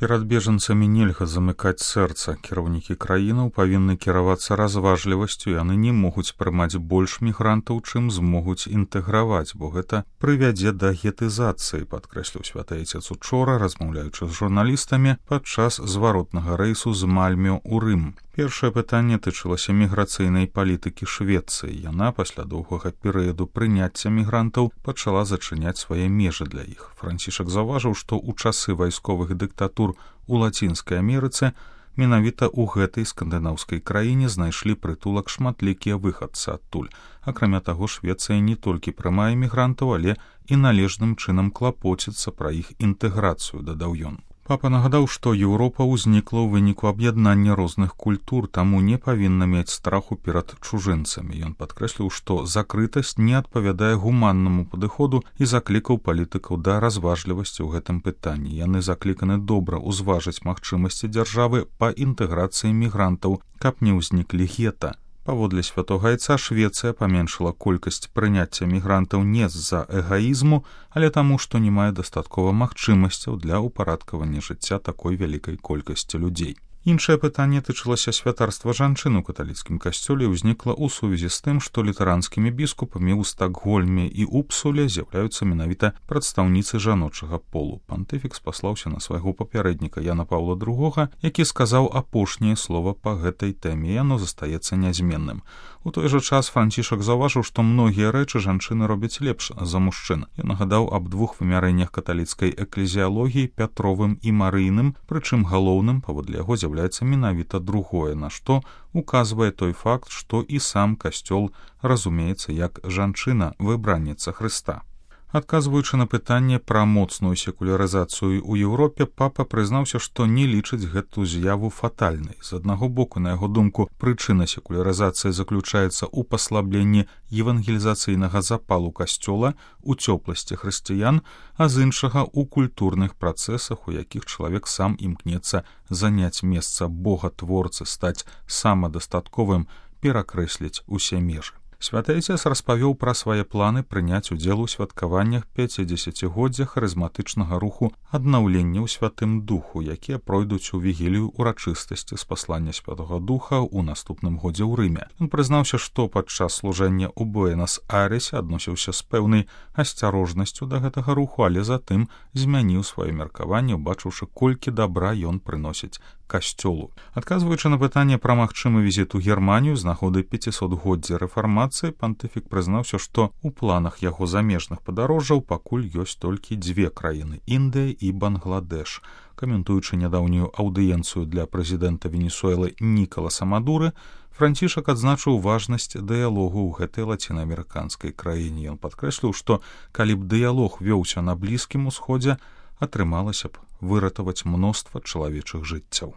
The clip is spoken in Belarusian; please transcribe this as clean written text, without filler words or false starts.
Перад бежанцамі нельга замыкаць сэрца. Кіраўнікі краінаў павінны кіравацца разважлівасцю, яны не могуць прымаць больш мігрантаў, чым змогуць інтэграваць, бо гэта прывядзе да гетызацыі, падкрэсліў святы айцец учора, размаўляючы з журналістамі падчас зваротнага рэйсу з Мальмё ў Рым. Першае пытанне тычылася міграцыйнай палітыкі Швецыі. Яна пасля доўгага перыяду прыняцця мігрантаў пачала зачыняць свае межы для іх. Францішак заўважыў, што ў часы вайсковых дыктатур у Лацінскай Амерыцы менавіта ў гэтай скандынаўскай краіне знайшлі прытулак шматлікія выхадцы адтуль. Акрамя таго, Швецыя не толькі прымае мігрантаў, але і належным чынам клапоціцца пра іх інтэграцыю, дадаў ён. Папа нагадаў, што Еўропа ўзнікла ў выніку аб'яднання розных культур, таму не павінна мець страху перад чужынцамі. Ён падкрэсліў, што закрытасць не адпавядае гуманнаму падыходу і заклікаў палітыкаў да разважлівасці ў гэтым пытанні. Яны закліканы добра ўзважыць магчымасці дзяржавы па інтэграцыі мігрантаў, каб не ўзніклі гета. Паводле святога айца, Швецыя паменшыла колькасць прыняцця мігрантаў не з-за эгаізму, але таму, што не мае дастаткова магчымасцяў для ўпарадкавання жыцця такой вялікай колькасці людзей. Іншае пытанне тычылася святарства жанчын у каталіцкім касцёле і ўзнікла ў сувязі з тым, што літаранскімі біскупамі ў Стакгольме і Упсуле з'яўляюцца менавіта прадстаўніцы жаночага полу. Пантыфік спаслаўся на свайго папярэдніка Яна Паўла II, які сказаў апошняе слова па гэтай тэме, і яно застаецца нязменным. У той жа час Францішак заўважыў, што многія рэчы жанчыны робяць лепш за мужчын. Ён нагадаў аб двух вымярэннях каталіцкай эклезіялогіі, Пятровым і Марыйным, прычым галоўным, паводле яго, з'яўляецца менавіта другое, на што указвае той факт, што і сам касцёл разумеецца як жанчына, выбранніца Хрыста. Адказваючы на пытанне пра моцную секулярызацыю ў Еўропе, папа прызнаўся, што не лічыць гэту з'яву фатальнай. З аднаго боку, на яго думку, прычына секулярызацыі заключаецца ў паслабленні евангелізацыйнага запалу касцёла, у цёпласці хрысціян, а з іншага ў культурных працэсах, у якіх чалавек сам імкнецца заняць месца богатворцы, стаць самадастатковым, перакрэсліць усе межы. Святы айцец распавёў пра свае планы прыняць удзел у святкаваннях 50-годдзя харызматычнага руху аднаўлення ў Святым Духу, якія пройдуць у вігілію ўрачыстасці спаслання Святога Духа ў наступным годзе ў Рыме. Ён прызнаўся, што падчас служэння ў Буэнас-Айрэсе адносіўся з пэўнай асцярожнасцю да гэтага руху, але затым змяніў сваё меркаванне, убачыўшы, колькі дабра ён прыносіць касцёлу. Адказваючы на пытанне пра магчымы візіт у Германію з нагоды 500-годдзя рэфармацыі, пантыфік прызнаўся, што ў планах яго замежных падарожжаў пакуль ёсць толькі дзве краіны — Індыя і Бангладэш. Каментуючы нядаўнюю аўдыенцыю для прэзідэнта Венесуэлы Нікаласа Мадуры, Францішак адзначыў важнасць дыялогу ў гэтай лацінаамерыканскай краіне. Ён падкрэсліў, што калі б дыялог вёўся на Блізкім Усходзе, атрымалася б выратаваць мноства чалавечых жыццяў.